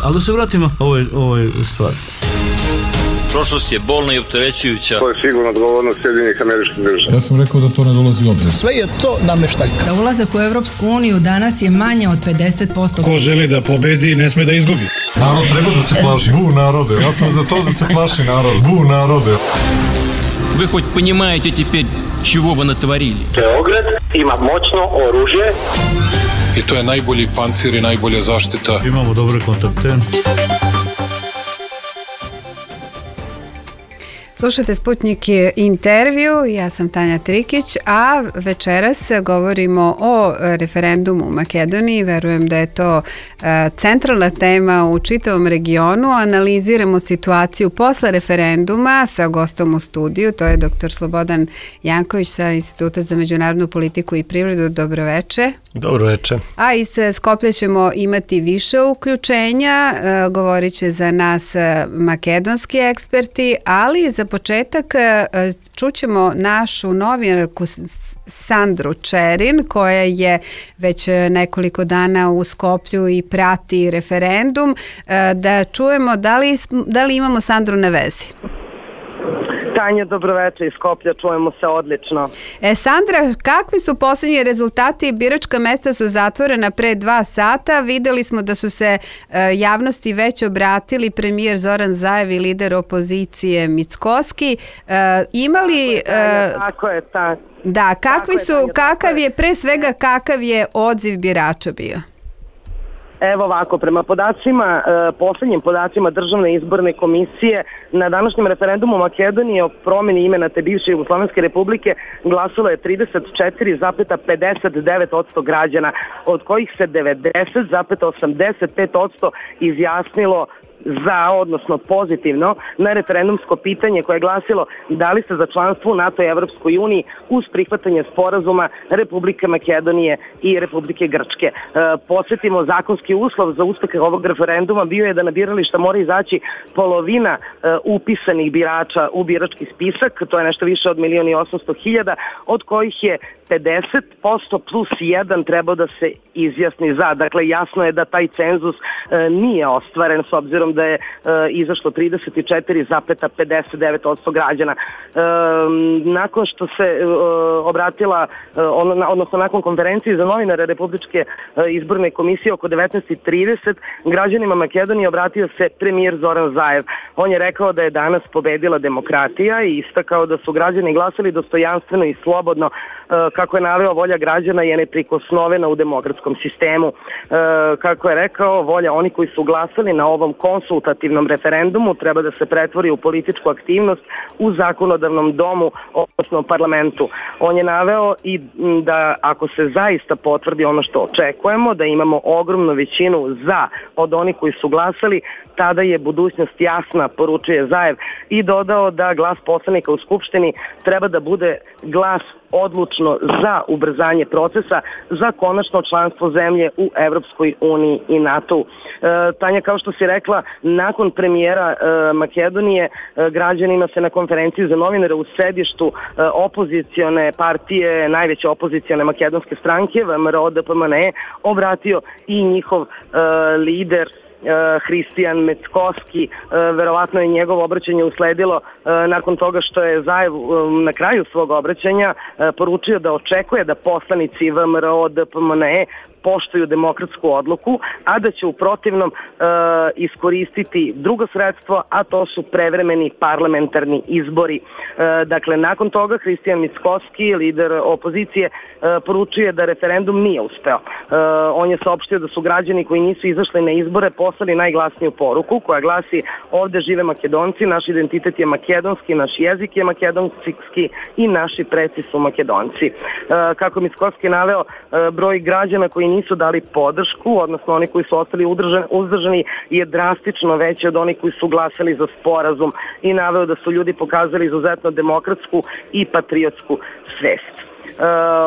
Ali da se vratimo ovoj stvari. Prošlost je bolna i opterećujuća. To je sigurno odgovornost Sjedinjenih Američkih Država. Ja sam rekao da to ne dolazi u obzir. Sve je to nameštaljka. Za ulazak u Evropsku uniju danas je manje od 50%. Ko želi da pobedi, ne sme da izgubi. Narod treba da se plaši. Bu narode. Ja sam za to da se plaši narod. Bu narode. Вы хоть понимаете теперь, чего вы натворили? Beograd ima moćno oružje. I to je najbolji pancir i najbolja zaštita. Imamo dobre kontakte. Slušate Sputnik intervju, ja sam Tanja Trikić, a večeras govorimo o referendumu u Makedoniji. Verujem da je to centralna tema u čitavom regionu. Analiziramo situaciju posle referenduma sa gostom u studiju, to je dr. Slobodan Janković sa Instituta za međunarodnu politiku i privredu. Dobroveče. Dobroveče. A iz Skoplja ćemo imati više uključenja, govorit će za nas makedonski eksperti, ali za početak čućemo našu novinarku Sandru Čerin, koja je već nekoliko dana u Skoplju i prati referendum. Da čujemo da li imamo Sandru na vezi. Tanja, dobroveče iz Skoplja, čujemo se odlično. Sandra, kakvi su posljednji rezultati? Biračka mesta su zatvorena pre 2 sata. Videli smo da su se javnosti već obratili premijer Zoran Zaev i lider opozicije Mickoski. Imali... Tako je, tako. Da, kakav je odziv birača bio? Evo ovako, prema podacima, posljednjim podacima Državne izborne komisije, na današnjem referendumu Makedonije o promjeni imena te bivše Jugoslovenske republike glasalo je 34,59% građana, od kojih se 90,85% izjasnilo za, odnosno pozitivno, na referendumsko pitanje koje je glasilo da li se za članstvo u NATO i Evropskoj uniji uz prihvatanje sporazuma Republike Makedonije i Republike Grčke. Podsjetimo, zakonski uslov za uspeh ovog referenduma bio je da na birališta mora izaći polovina upisanih birača u birački spisak, to je nešto više od 1.800.000, od kojih je 50% plus 1 trebao da se izjasni za. Dakle, jasno je da taj cenzus nije ostvaren s obzirom da je izašlo 34,59% građana. Nakon što se obratila, odnosno nakon konferencije za novinare Republičke izborne komisije oko 19:30, građanima Makedonije obratio se premijer Zoran Zaev. On je rekao da je danas pobedila demokratija i istakao da su građani glasali dostojanstveno i slobodno. Kako je naveo, volja građana je neprikosnovena u demokratskom sistemu. Kako je rekao, volja oni koji su glasali na ovom konsultativnom referendumu treba da se pretvori u političku aktivnost u zakonodavnom domu, odnosno parlamentu. On je naveo i da ako se zaista potvrdi ono što očekujemo, da imamo ogromnu većinu za od onih koji su glasali, tada je budućnost jasna, poručuje Zaev, i dodao da glas poslanika u Skupštini treba da bude glas odlučno za ubrzanje procesa za konačno članstvo zemlje u Evropskoj uniji i NATO-u. Tanja, kao što si rekla, nakon premijera Makedonije, građanima se na konferenciji za novinare u sedištu opozicione partije, najveće opozicione makedonske stranke, VMRO DPMNE, obratio i njihov lider Hristijan Mickoski. Verovatno je njegovo obraćanje usledilo nakon toga što je Zaev na kraju svog obraćanja poručio da očekuje da poslanici VMRO DPMNE poštuju demokratsku odluku, a da će u protivnom iskoristiti drugo sredstvo, a to su prevremeni parlamentarni izbori. Dakle, nakon toga Hristijan Mickoski, lider opozicije, poručuje da referendum nije uspeo. On je saopštio da su građani koji nisu izašli na izbore poslali najglasniju poruku koja glasi: ovde žive Makedonci, naš identitet je makedonski, naš jezik je makedonski i naši preci su Makedonci. Kako Mickoski naveo, broj građana koji nisu dali podršku, odnosno oni koji su ostali uzdržani, je drastično veći od onih koji su glasali za sporazum, i naveo da su ljudi pokazali izuzetno demokratsku i patriotsku svest.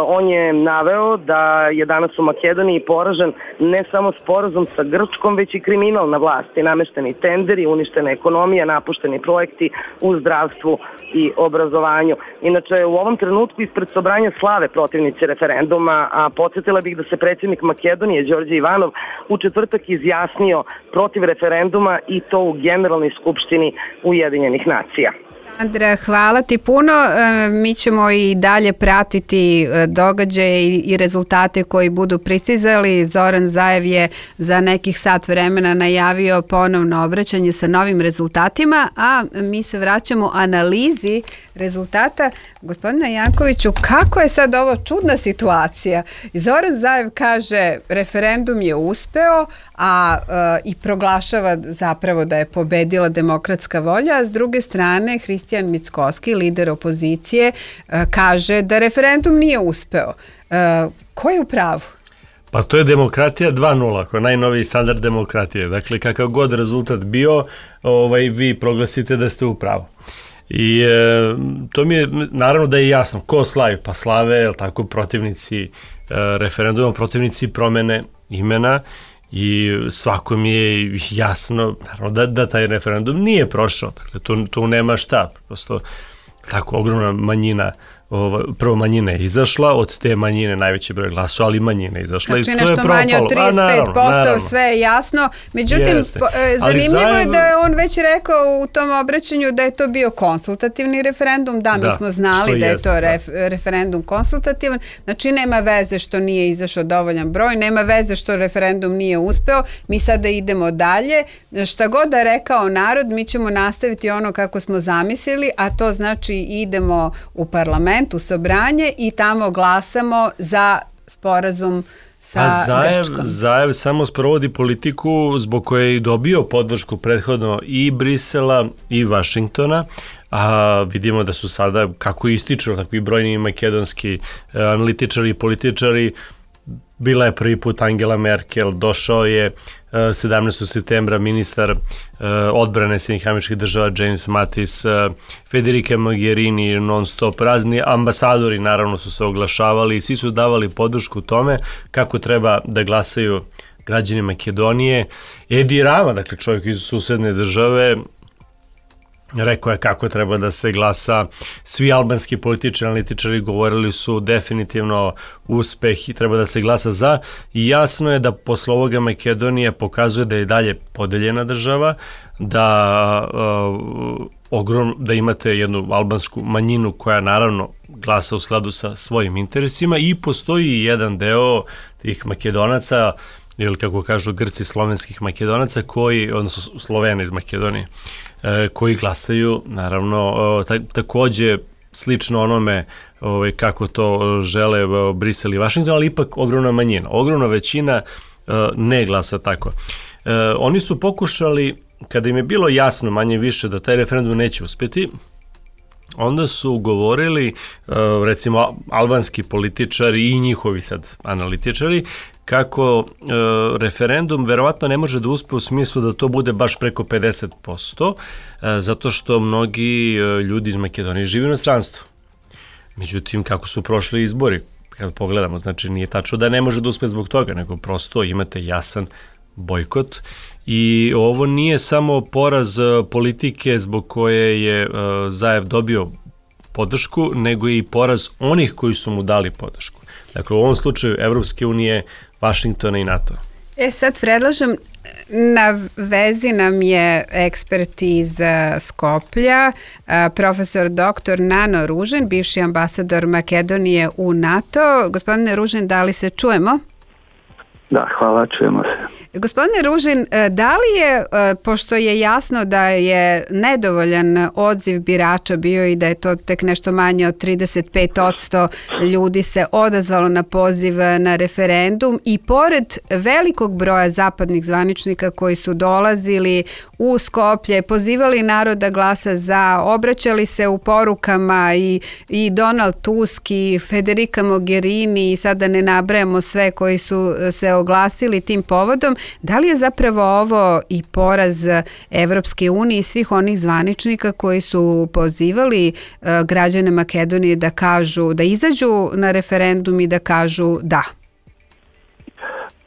On je naveo da je danas u Makedoniji poražen ne samo sporazum sa Grčkom, već i kriminal na vlasti, namešteni tenderi, uništena ekonomija, napušteni projekti u zdravstvu i obrazovanju. Inače, u ovom trenutku ispred Sobranja slave protivnici referenduma, a podsjetila bih da se predsjednik Makedonije, Đorđe Ivanov, u četvrtak izjasnio protiv referenduma i to u Generalnoj skupštini Ujedinjenih nacija. Andra, hvala ti puno. Mi ćemo i dalje pratiti događaje i rezultate koji budu pristizali. Zoran Zaev je za nekih sat vremena najavio ponovno obraćanje sa novim rezultatima, a mi se vraćamo analizi rezultata. Gospodine Jankoviću, kako je sad ovo čudna situacija? Zoran Zaev kaže referendum je uspeo, i proglašava zapravo da je pobedila demokratska volja, a s druge strane Hristijan Mickoski, lider opozicije, kaže da referendum nije uspeo. Ko je u pravu? Pa to je demokratija 2.0, koja je najnoviji standard demokratije. Dakle, kakav god rezultat bio, vi proglasite da ste u pravu. I to mi je, naravno da je jasno, ko slavi? Pa slave, tako, protivnici referenduma, protivnici promene imena, i svako mi je jasno, naravno, da taj referendum nije prošao. Dakle, tu nema šta, prosto tako ogromna manjina, prvo manjina je izašla, od te manjine najveći broj glasova, ali manjina je izašla, znači, i to je propalo. Znači nešto manje od 35%, sve je jasno. Međutim, zanimljivo je da je on već rekao u tom obraćanju da je to bio konsultativni referendum. Da, mi smo znali da je to referendum konsultativan. Znači, nema veze što nije izašao dovoljan broj, nema veze što referendum nije uspeo. Mi sada idemo dalje. Šta god da je rekao narod, mi ćemo nastaviti ono kako smo zamislili, a to znači idemo u parlament, u Sobranje, i tamo glasamo za sporazum sa Grčkom. Zaev samo sprovodi politiku zbog koje je dobio podršku prethodno i Brisela i Vašingtona, a vidimo da su sada, kako ističu takvi brojni makedonski analitičari i političari, bila je prvi put Angela Merkel, došao je 17. septembra ministar odbrane Sjedinjenih Američkih Država James Mattis, Federica Mogherini, non stop, razni ambasadori naravno su se oglašavali i svi su davali podršku tome kako treba da glasaju građani Makedonije. Edi Rama, dakle čovjek iz susedne države, rekao je kako treba da se glasa. Svi albanski političari, analitičari govorili su definitivno uspeh i treba da se glasa za, i jasno je da posle ovoga Makedonija pokazuje da je dalje podeljena država, da imate jednu albansku manjinu koja naravno glasa u skladu sa svojim interesima, i postoji jedan deo tih Makedonaca, ili kako kažu Grci, slovenskih Makedonaca, odnosno Slovena iz Makedonije, koji glasaju, naravno, takođe slično onome kako to žele Brisel i Vašington, ali ipak ogromna manjina. Ogromna većina ne glasa tako. Oni su pokušali, kada im je bilo jasno manje više da taj referendum neće uspeti, onda su govorili, recimo, albanski političari i njihovi sad analitičari, kako referendum verovatno ne može da uspe u smislu da to bude baš preko 50%, zato što mnogi ljudi iz Makedonije žive u inostranstvu. Međutim, kako su prošli izbori, kad pogledamo, znači nije tačno da ne može da uspe zbog toga, nego prosto imate jasan bojkot, i ovo nije samo poraz politike zbog koje je Zaev dobio podršku, nego i poraz onih koji su mu dali podršku. Dakle, u ovom slučaju Evropske unije, Vašingtona i NATO. Sad predlažem, na vezi nam je ekspert iz Skoplja, profesor dr. Nano Ružin, bivši ambasador Makedonije u NATO. Gospodine Ružin, da li se čujemo? Da, hvala, čujemo se. Gospodine Ružin, da li je, pošto je jasno da je nedovoljan odziv birača bio i da je to tek nešto manje od 35% ljudi se odazvalo na poziv na referendum, i pored velikog broja zapadnih zvaničnika koji su dolazili u Skoplje, pozivali narod da glasa za, obraćali se u porukama i Donald Tusk i Federica Mogherini, i sada ne nabrajamo sve koji su se oglasili tim povodom, da li je zapravo ovo i poraz Evropske unije i svih onih zvaničnika koji su pozivali građane Makedonije da kažu, da izađu na referendum i da kažu da?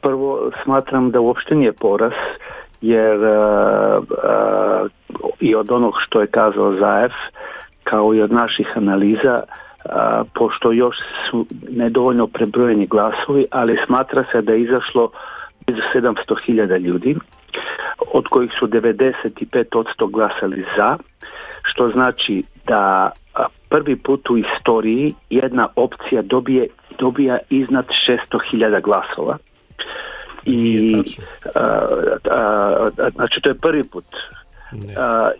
Prvo, smatram da uopšte nije poraz, jer i od onog što je kazao Zaev, kao i od naših analiza, pošto još su nedovoljno prebrojeni glasovi, ali smatra se da je izašlo blizu 700.000 ljudi, od kojih su 95% glasali za, što znači da prvi put u istoriji jedna opcija dobija iznad 600.000 glasova. I znači to je prvi put.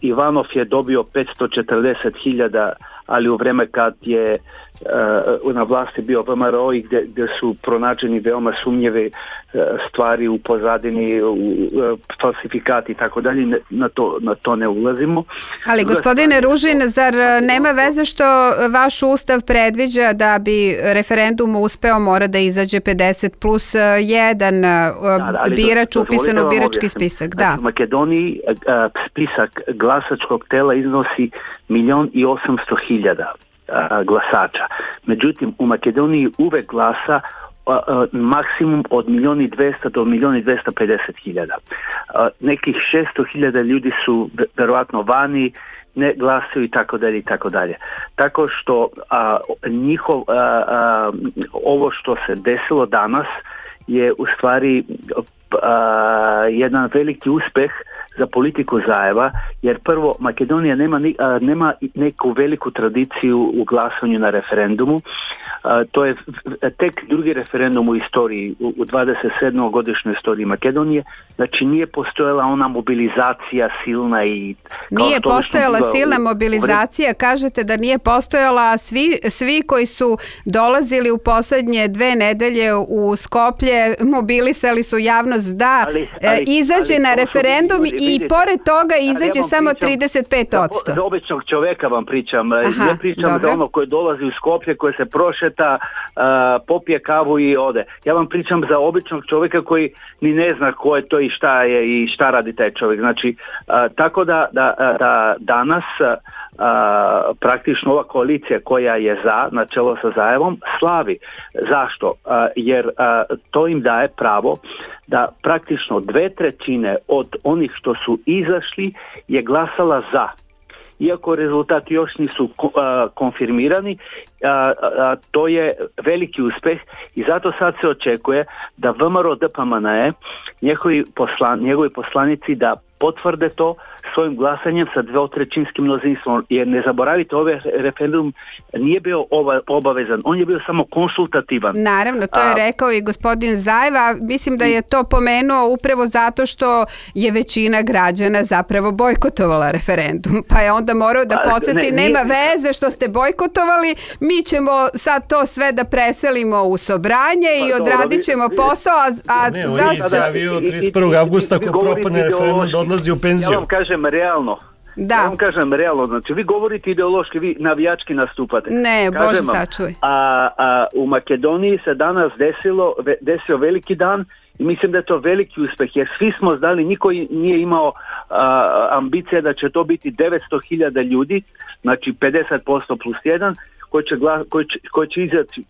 Ivanov je dobio 540.000, ali u vreme kad je na vlasti bio VMRO i gdje su pronađeni veoma sumnjive stvari u pozadini, falsifikati i tako dalje, na to ne ulazimo. Ali gospodine Ružin, zar nema veze što vaš ustav predviđa da bi referendum uspeo mora da izađe 50 plus 1 birač upisan u birački spisak? Da. U Makedoniji spisak glasačkog tela iznosi 1.800.000 glasača. Međutim, u Makedoniji uvek glasa maksimum od 1.200.000 do 1.250.000. Nekih 600.000 ljudi su verovatno vani, ne glasaju i tako dalje i tako dalje. Tako što ovo što se desilo danas je u stvari jedan veliki uspeh za politiku Zaeva, jer prvo Makedonija nema neku veliku tradiciju u glasanju na referendumu. To je tek drugi referendum u istoriji, u 27. godišnjoj istoriji Makedonije. Znači nije postojala ona mobilizacija silna i... Nije postojala silna mobilizacija, kažete da nije postojala, svi koji su dolazili u posljednje 2 nedelje u Skoplje mobilisali su javnost da izađe na referendum i pored toga izađe samo 35%. Za običnog čoveka vam pričam. Ne pričam za ono koji dolazi u Skoplje, koji se prošeta, popije kavu i ode. Ja vam pričam za običnog čovjeka koji ni ne zna ko je to i šta je i šta radi taj čovjek. Znači, tako da danas praktično ova koalicija koja je na čelo sa Zaevom slavi. Zašto? Jer to im daje pravo da praktično 2/3 od onih što su izašli je glasala za. Iako rezultati još nisu konfirmirani, to je veliki uspeh i zato sad se očekuje da VMRO DPMNE, njegovi poslanici da potvrde to svojim glasanjem sa 2/3 množinstvom, jer ne zaboravite, ovaj referendum nije bio obavezan, on je bio samo konsultativan. Naravno, to je rekao i gospodin Zaeva, mislim da je to pomenuo upravo zato što je većina građana zapravo bojkotovala referendum, pa je onda morao da podsjeti, nema veze što ste bojkotovali, mi ćemo sad to sve da preselimo u Sobranje i odradit ćemo posao, Ne, on je izjavio 31. avgusta ako propadne referendum da odlazi u penziju. Ja vam kažem realno. Da. Ja vam kažem realno, znači vi govorite ideološki, vi navijački nastupate. Ne, Bože sačuvaj. U Makedoniji se danas desio veliki dan i mislim da je to veliki uspeh, jer svi smo znali, niko nije imao ambicije da će to biti 900.000 ljudi, znači 50% plus 1, koji će izaći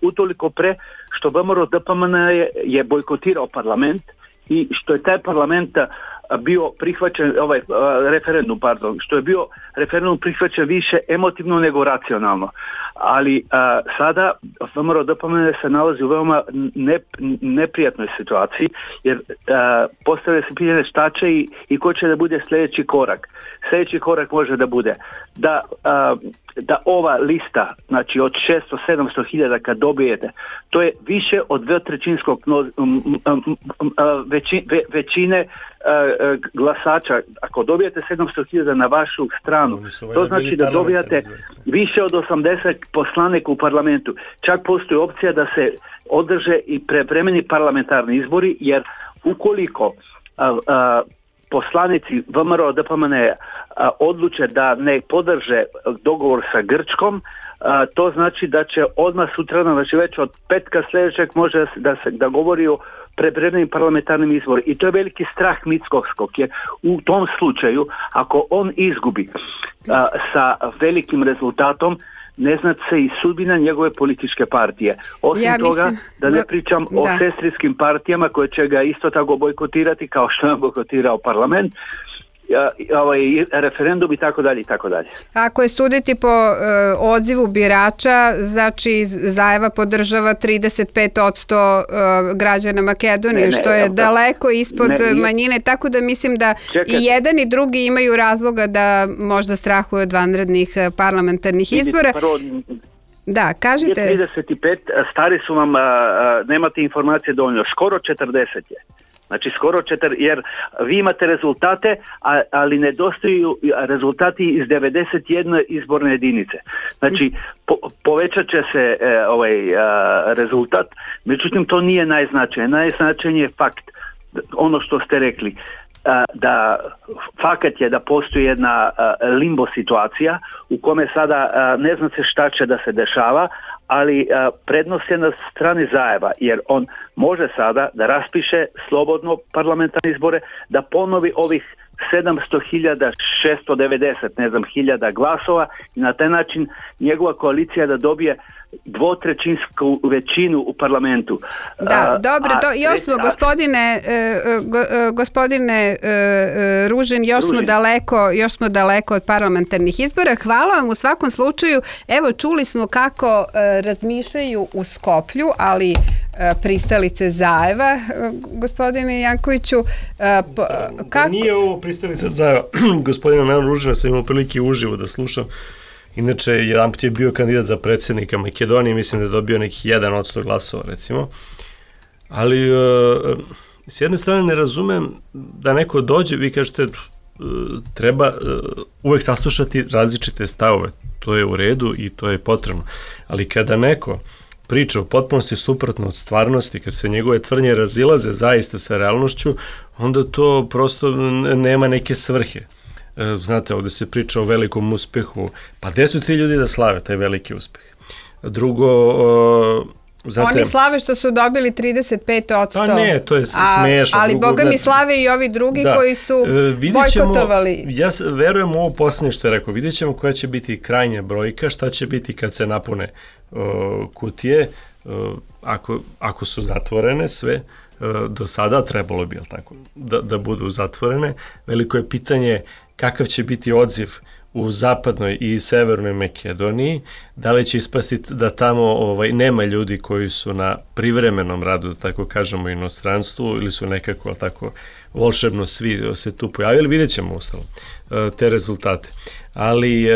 utoliko pre što VMRO DPMNE je bojkotirao parlament i što je taj parlament bio prihvaćen, što je bio referendum prihvaćen više emotivno nego racionalno. Ali sada VMRO DPMNE se nalazi u veoma neprijatnoj situaciji, jer postavlja se pitanje šta će i ko će da bude sljedeći korak. Sljedeći korak može da bude da ova lista, znači od 600-700.000 kad dobijete, to je više od 2/3 većine glasača. Ako dobijete 700.000 na vašu stranu, to znači da dobijate više od 80 poslanika u parlamentu. Čak postoji opcija da se održe i prevremeni parlamentarni izbori, jer ukoliko poslanici VMRO DPMNE odluče da ne podrže dogovor sa Grčkom, to znači da će odmah sutradan, znači već od petka sljedećeg može da govori o prevremenim parlamentarnim izbori. I to je veliki strah Mickovskog, jer u tom slučaju, ako on izgubi sa velikim rezultatom, ne zna se i sudbina njegove političke partije. Osim toga, da ne pričam o sestrinskim partijama koje će ga isto tako bojkotirati kao što je bojkotirao parlament. referendum i tako dalje i tako dalje. Ako je suditi po odzivu birača, znači Zaeva podržava 35% građana Makedonije, što je daleko ispod manjine, tako da mislim da i jedan i drugi imaju razloga da možda strahuju od vanrednih parlamentarnih izbora. Da, kažite. 35, stari su vam, nemate informacije dovoljno, skoro 40 je. Znači skoro jer vi imate rezultate, ali nedostaju rezultati iz 91 izborne jedinice. Znači povećat će se rezultat, međutim to nije najznačajnije. Najznačajnije je fakt, ono što ste rekli, da fakat je da postoji jedna limbo situacija u kome sada ne zna se šta će da se dešava, ali prednost je na strani Zaeva, jer on može sada da raspiše slobodno parlamentarne izbore, da ponovi ovih 700.690 hiljada glasova i na taj način njegova koalicija da dobije dvotrećinsku većinu u parlamentu. Da, dobro, još smo gospodine Ružin, još smo daleko od parlamentarnih izbora. Hvala vam u svakom slučaju. Evo, čuli smo kako razmišljaju u Skoplju, ali pristalice Zaeva, gospodine Jankoviću. Nije ovo pristalica Zaeva. Gospodina Ružina sam imao prilike uživo da slušam. Inače, jedan put je bio kandidat za predsjednika Makedonije, mislim da je dobio nekih 1% glasova, recimo. Ali, s jedne strane ne razumem da neko dođe, vi kažete, treba uvek saslušati različite stavove. To je u redu i to je potrebno. Ali kada neko priča u potpunosti suprotno od stvarnosti, kad se njegove tvrdnje razilaze zaista sa realnošću, onda to prosto nema neke svrhe. Znate, ovde se priča o velikom uspehu, pa gde su ti ljudi da slave taj veliki uspeh? Drugo, oni slave što su dobili 35%. Pa ne, to je smešno. Ali boga mi slave i ovi drugi koji su bojkotovali. Ja verujem u ovo posljednje što je rekao, vidjet ćemo koja će biti krajnja brojka, šta će biti kad se napune kutije, ako su zatvorene sve. Do sada trebalo bi, tako, da budu zatvorene. Veliko je pitanje kakav će biti odziv u zapadnoj i severnoj Makedoniji, da li će ispasti da tamo nema ljudi koji su na privremenom radu, da tako kažemo, inostranstvu, ili su nekako tako volšebno svi se tu pojavili, vidjet ćemo ustalo te rezultate. Ali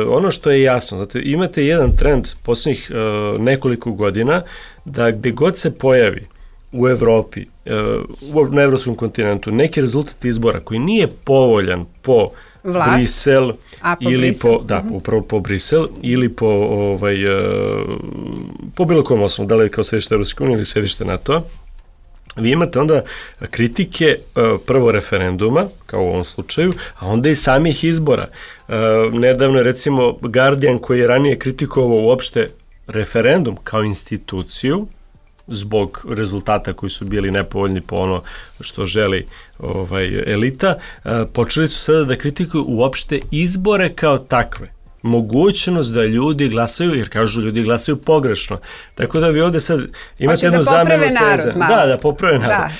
ono što je jasno, znate, imate jedan trend posljednjih nekoliko godina da gde god se pojavi u Evropi, na evropskom kontinentu, neki rezultat izbora koji nije povoljan po Brisel ili upravo po Brisel ili po bilo kom osnovu, da li kao sedište Evropske unije ili sedište NATO, vi imate onda kritike prvo referenduma, kao u ovom slučaju, a onda i samih izbora. Nedavno je recimo Guardian koji je ranije kritikovao uopšte referendum kao instituciju, zbog rezultata koji su bili nepovoljni po ono što želi elita, počeli su sada da kritikuju uopšte izbore kao takve. Mogućnost da ljudi glasaju, jer kažu ljudi glasaju pogrešno. Tako da vi ovde sad imate jednu zamenu teza. Da poprave narod.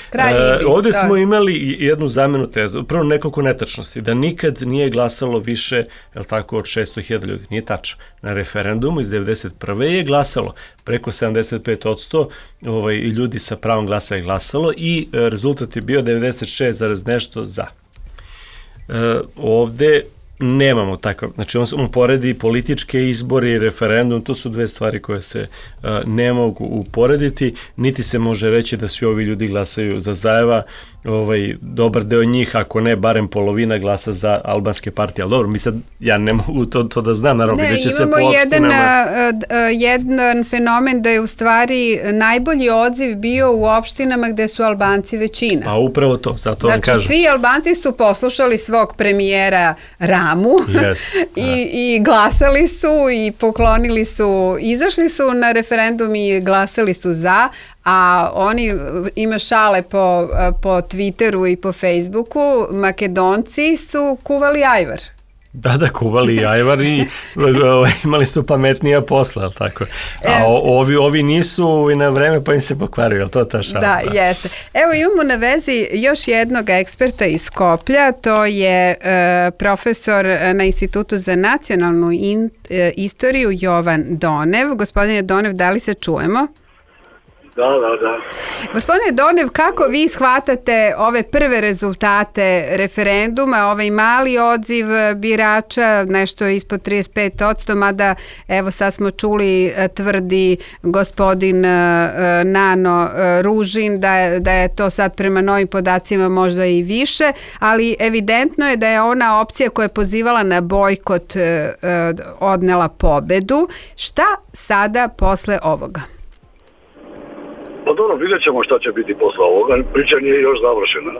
Ovde smo imali jednu zamenu teza. Prvo nekoliko netačnosti. Da nikad nije glasalo više, jel tako, od 600.000 ljudi. Nije tačno. Na referendumu iz 1991. je glasalo preko 75% ljudi sa pravom glasa je glasalo i rezultat je bio 96, nešto za. Ovde nemamo takav, znači on poredi političke izbore i referendum, to su dve stvari koje se ne mogu uporediti, niti se može reći da svi ovi ljudi glasaju za Zaeva, dobar deo njih, ako ne, barem polovina glasa za albanske partije, ali dobro, ja ne mogu to da znam, naravno, vidjet će se po opštinama. Jedan fenomen da je u stvari najbolji odziv bio u opštinama gde su Albanci većina. Pa upravo to, zato vam kažem. Znači, svi Albanci su poslušali svog premijera Ramu i glasali su i poklonili su, izašli su na referendum i glasali su za, a oni ima šale po Twitteru i po Facebooku, Makedonci su kuvali ajvar. Da, kuvali i ajvar i imali su pametnija posla, ali tako. A ovi nisu i na vreme pa im se pokvario, je li to ta šala? Da, jeste. Evo imamo na vezi još jednog eksperta iz Skoplja, to je profesor na Institutu za nacionalnu istoriju Jovan Donev. Gospodine Donev, da li se čujemo? Da. Gospodine Donev, kako vi shvatate ove prve rezultate referenduma, ovaj mali odziv birača, nešto ispod 35%, mada evo sad smo čuli, tvrdi gospodin Nano Ružin da je to sad prema novim podacima možda i više, ali evidentno je da je ona opcija koja je pozivala na bojkot odnela pobedu. Šta sada posle ovoga? Pa dobro, vidjet ćemo šta će biti posle ovoga. Priča nije još završena.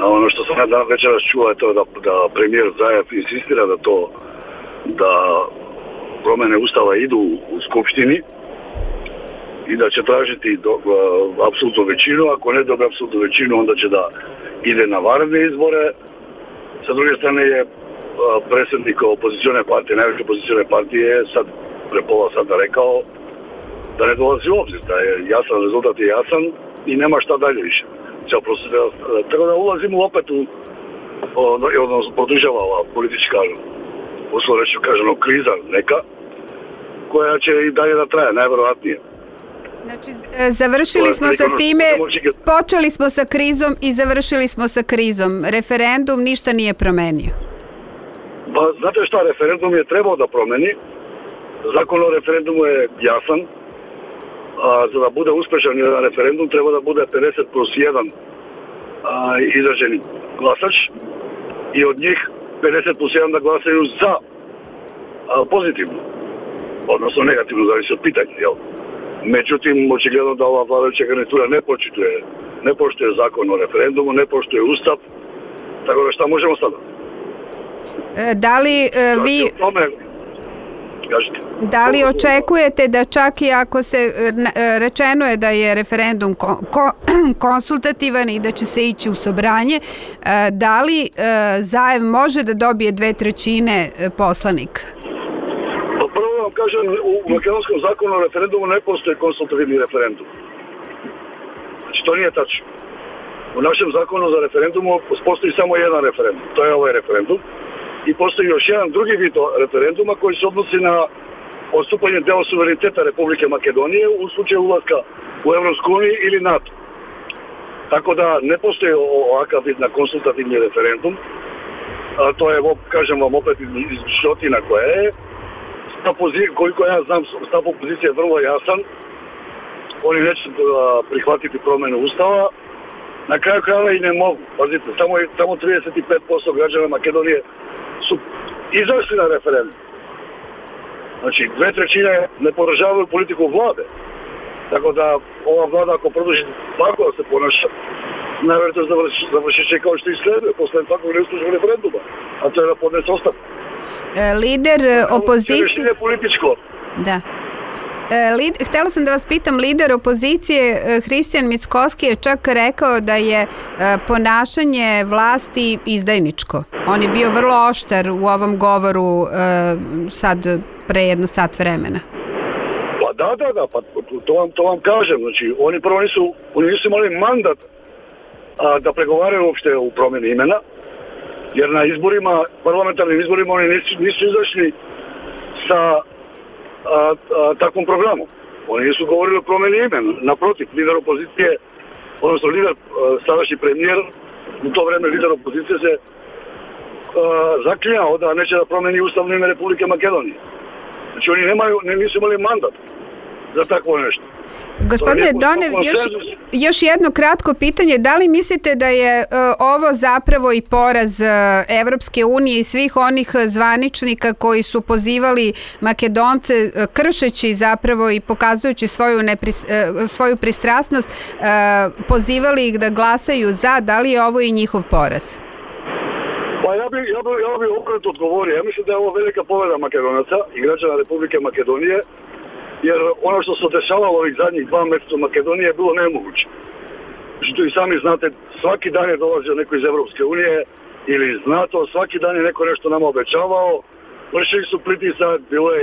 A ono što sam ja večeras čuo je to da premijer Zajev insistira da promene Ustava idu u Skupštini i da će tražiti apsolutnu većinu. Ako ne dobe apsolutnu većinu, onda će da ide na vanredne izbore. Sa druge strane je predsjednik opozicione partije, najveće opozicione partije, sad pre pola sada rekao da ne dolazi u obzir, da je jasan rezultat je jasan i nema šta dalje više. Tako da ulazimo opet odnosno podržava ova politička, uslovno reći kažemo, kriza neka, koja će i dalje da traje, najverovatnije. Znači, završili smo sa time, počeli smo sa krizom i završili smo sa krizom. Referendum ništa nije promenio. Pa, znate šta, referendum je trebao da promeni. Zakon o referendumu je jasan. A za da bude uspešan jedan referendum treba da bude 50+1 izraženi glasač i od njih 50+1 da glasaju za pozitivno, odnosno negativno, zavisi od pitanja, jel? Međutim, očigledno da ova vladajuća garnitura ne poštuje zakon o referendumu, ne poštuje Ustav, tako da šta možemo sada? Da li vi... Da li očekujete da čak i ako se rečeno je da je referendum konsultativan i da će se ići u sobranje, da li Zajev može da dobije 2/3 poslanika? Pa prvo vam kažem, u makedonskom zakonu o referendumu ne postoji konsultativni referendum. Znači to nije tačno. U našem zakonu za referendumu postoji samo jedan referendum, to je ovaj referendum. I postoji još jedan drugi vid referenduma koji se odnosi na odstupanje deo suvereniteta Republike Makedonije u slučaju ulaska u Evropsku uniju ili NATO. Tako da ne postoji ovakav vid na konsultativni referendum. To je, kažem vam opet, izmišljotina koja je. Koliko ja znam, stav opozicije je vrlo jasan. Oni neće prihvatiti promenu Ustava. Na kraju krajeva i ne mogu. Pazite, samo 35% građana Makedonije su izašli na referendum. Znači, 2/3 ne podržavaju politiku vlade. Tako da ova vlada ako produži tako da se ponaša, najvjerojatno završit će kao što i sleduje posle takvog neuspješnog referenduma, a to je da podnese ostavku. Lider opozicije... Rešenje političko. Da. Htjela sam da vas pitam, lider opozicije Hristijan Mickoski je čak rekao da je ponašanje vlasti izdajničko. On je bio vrlo oštar u ovom govoru sad pre jedno sat vremena. Pa da, pa to vam kažem. Znači, oni prvo nisu imali mandat da pregovaraju uopšte u promjeni imena, jer na izborima, parlamentarnim izborima oni nisu izašli sa takvom programom. Oni nisu govorili o promjeni imena. Naprotiv, lider opozicije, odnosno sadašnji premijer, u to vreme lider opozicije se zaklinjao da neće da promeni ustavno ime Republike Makedonije. Znači oni nisu imali mandat za takvo nešto. Gospodine Donev, još jedno kratko pitanje. Da li mislite da je ovo zapravo i poraz Evropske unije i svih onih zvaničnika koji su pozivali Makedonce, kršeći zapravo i pokazujući svoju pristrasnost, pozivali ih da glasaju za? Da li je ovo i njihov poraz? Pa ja bi okrenuto odgovorio. Ja mislim da je ovo velika pobjeda Makedonaca i građana Republike Makedonije, jer ono što se dešavalo ovih zadnjih 2 mjeseca u Makedoniji je bilo nemoguće. Što i sami znate, svaki dan je dolazio neko iz Evropske unije ili iz NATO, svaki dan je neko nešto nama obećavao, vršili su pritisak, bilo je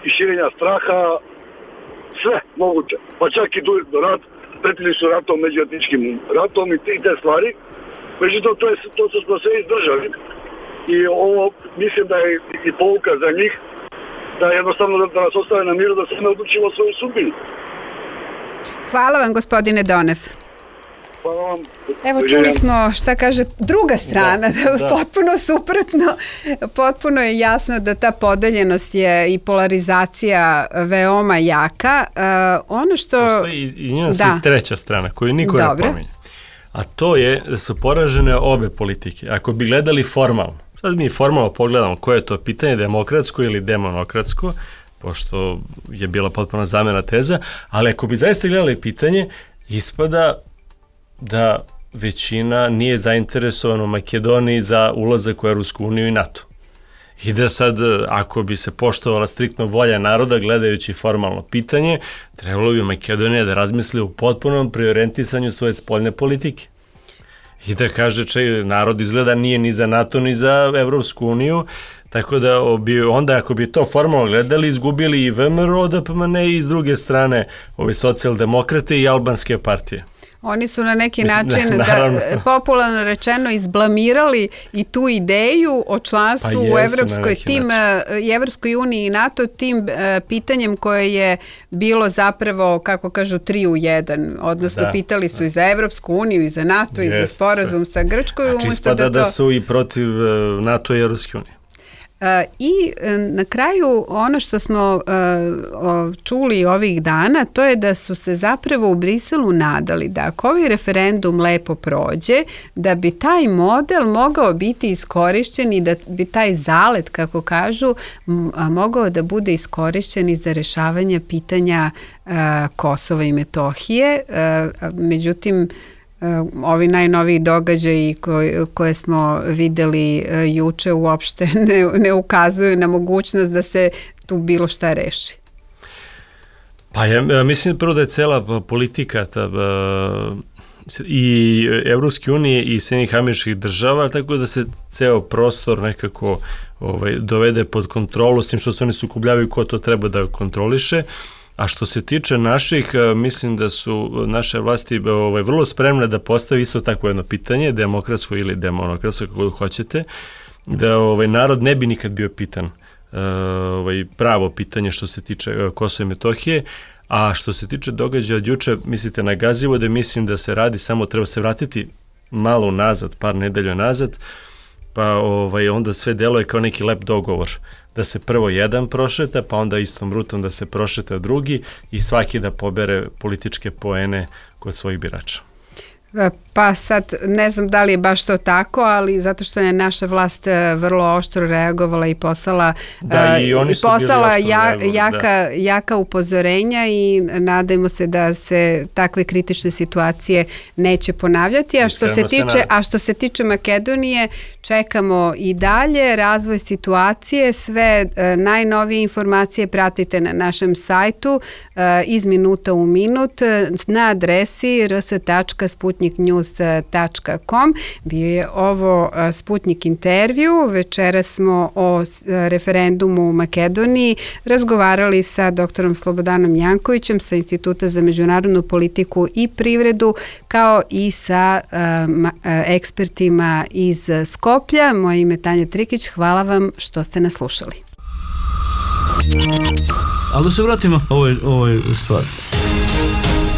i širenja straha, sve moguće, pa čak i rat, pretili su ratom, međuetničkim ratom i te stvari. Međutim, to smo sve izdržali i ovo mislim da je i pouka za njih, da jednostavno da nas ostave na miru, da se ne odlučimo svoju sudbinu. Hvala vam, gospodine Donev. Hvala vam. Evo, čuli smo šta kaže druga strana, potpuno suprotno. Potpuno je jasno da ta podeljenost je i polarizacija veoma jaka. Ono što... Postoji, izvinjam se, treća strana koju niko ne pominje. A to je da su poražene obe politike. Ako bi gledali formalno, sad mi formalno pogledamo koje je to pitanje, demokratsko ili demonokratsko, pošto je bila potpuno zamena teza, ali ako bi zaista gledali pitanje, ispada da većina nije zainteresovana u Makedoniji za ulazak u Evropsku uniju i NATO. I da sad, ako bi se poštovala striktno volja naroda, gledajući formalno pitanje, trebalo bi Makedonija da razmisli u potpunom prioritisanju svoje spoljne politike. I da kaže, narod izgleda nije ni za NATO, ni za Evropsku uniju, tako da onda ako bi to formalno gledali, izgubili i VMRO, DPMN i s druge strane ove socijaldemokrate i albanske partije. Oni su na neki način, popularno rečeno, izblamirali i tu ideju o članstvu u Evropskoj uniji i NATO tim pitanjem koje je bilo zapravo, kako kažu, 3 u 1. Odnosno, pitali su i za Evropsku uniju, i za NATO, i za sporazum sa Grčkoj. Znači, ispada da su i protiv NATO i Evropske unije. I na kraju ono što smo čuli ovih dana, to je da su se zapravo u Briselu nadali da ako ovaj referendum lepo prođe, da bi taj model mogao biti iskorišćen i da bi taj zalet, kako kažu, mogao da bude iskorišćen i za rešavanje pitanja Kosova i Metohije. Međutim, ovi najnoviji događaji koje smo videli juče uopšte ne ukazuju na mogućnost da se tu bilo šta reši. Pa ja mislim prvo da je cela politika i Evropske unije i Sjedinjenih Američkih Država, tako da se ceo prostor nekako dovede pod kontrolu, s tim što se oni sukobljavaju ko to treba da kontroliše. A što se tiče naših, mislim da su naše vlasti vrlo spremne da postavi isto tako jedno pitanje, demokratsko ili demonokratsko, kako hoćete, da narod ne bi nikad bio pitan pravo pitanje što se tiče Kosova i Metohije, a što se tiče događaja od juče, mislite na Gazivo, da mislim da se radi, samo treba se vratiti malo nazad, par nedelja nazad, pa onda sve deluje kao neki lep dogovor, da se prvo jedan prošeta, pa onda istom rutom da se prošeta drugi i svaki da pobere političke poene kod svojih birača. Pa sad ne znam da li je baš to tako, ali zato što je naša vlast vrlo oštro reagovala i poslala, jaka upozorenja i nadajmo se da se takve kritične situacije neće ponavljati. A što se tiče Makedonije, čekamo i dalje razvoj situacije, sve najnovije informacije pratite na našem sajtu iz minuta u minut na adresi rs.sputniknews.com. Bio je ovo Sputnik intervju. Večeras smo o referendumu u Makedoniji razgovarali sa doktorom Slobodanom Jankovićem sa Instituta za međunarodnu politiku i privredu, kao i sa ekspertima iz Skoplja. Moje ime je Tanja Trikić. Hvala vam što ste nas slušali. Ali da se vratimo ovoj stvari.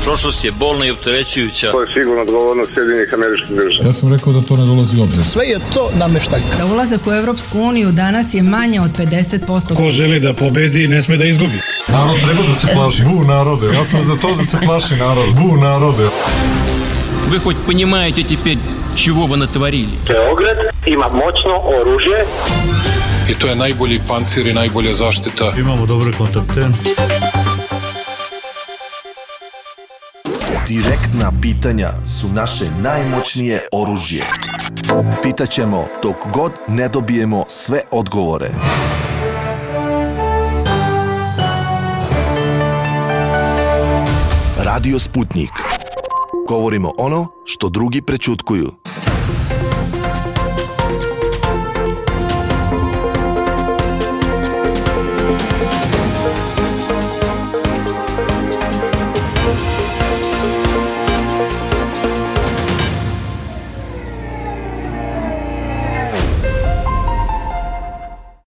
Prošlost je bolna i opterećujuća. To je sigurno odgovornost Sjedinjenih Američkih Država. Ja sam rekao da to ne dolazi u obzir. Sve je to nameštaljka. Da ulazak u Evropsku uniju danas je manje od 50%. Ko želi da pobedi, ne sme da izgubi. Narod treba da se plaši. Bu narode. Ja sam za to da se plaši narod. Bu narode. Вы хоть понимаете теперь, чего вы натворили? Beograd ima moćno oružje. I to je najbolji pancir i najbolja zaštita. Imamo dobre kontakte. Direktna pitanja su naše najmoćnije oružje. Pitaćemo dok god ne dobijemo sve odgovore. Radio Sputnik. Govorimo ono što drugi prećutkuju.